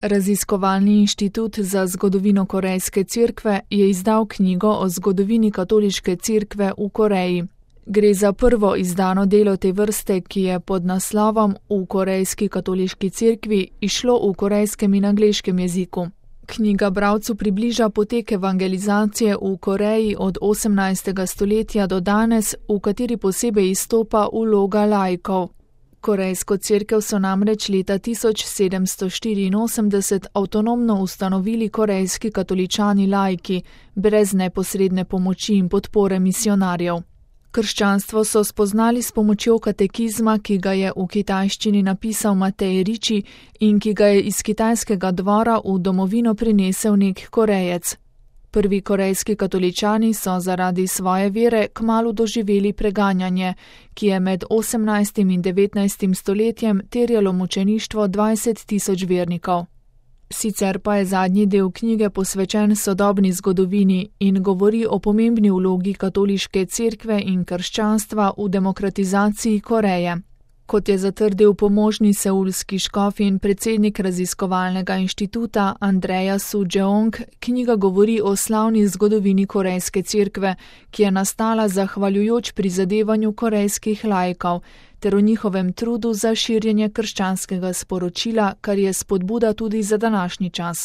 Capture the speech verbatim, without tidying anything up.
Raziskovalni inštitut za zgodovino Korejske cerkve je izdal knjigo o zgodovini katoliške cerkve v Koreji. Gre za prvo izdano delo te vrste, ki je pod naslovom V korejski katoliški cerkvi izšlo v korejskem in angleškem jeziku. Knjiga bralcu približa potek evangelizacije v Koreji od osemnajstega stoletja do danes, v kateri posebej izstopa vloga laikov. Korejsko cerkev so namreč leta tisoč sedemsto štiriinosemdeset avtonomno ustanovili korejski katoličani laiki, brez neposredne pomoči in podpore misionarjev. Krščanstvo so spoznali s pomočjo katekizma, ki ga je v kitajščini napisal Matej Riči in ki ga je iz kitajskega dvora v domovino prinesel nek Korejec. Prvi korejski katoličani so zaradi svoje vere kmalu doživeli preganjanje, ki je med osemnajstim in devetnajstim stoletjem terjalo mučeništvo dvajset tisoč vernikov. Sicer pa je zadnji del knjige posvečen sodobni zgodovini in govori o pomembni vlogi katoliške cerkve in krščanstva v demokratizaciji Koreje. Kot je zatrdil pomožni seulski škof in predsednik raziskovalnega inštituta Andreja Su-jeong, knjiga govori o slavni zgodovini Korejske cerkve, ki je nastala zahvaljujoč prizadevanju korejskih laikov, ter o njihovem trudu za širjenje krščanskega sporočila, kar je spodbuda tudi za današnji čas.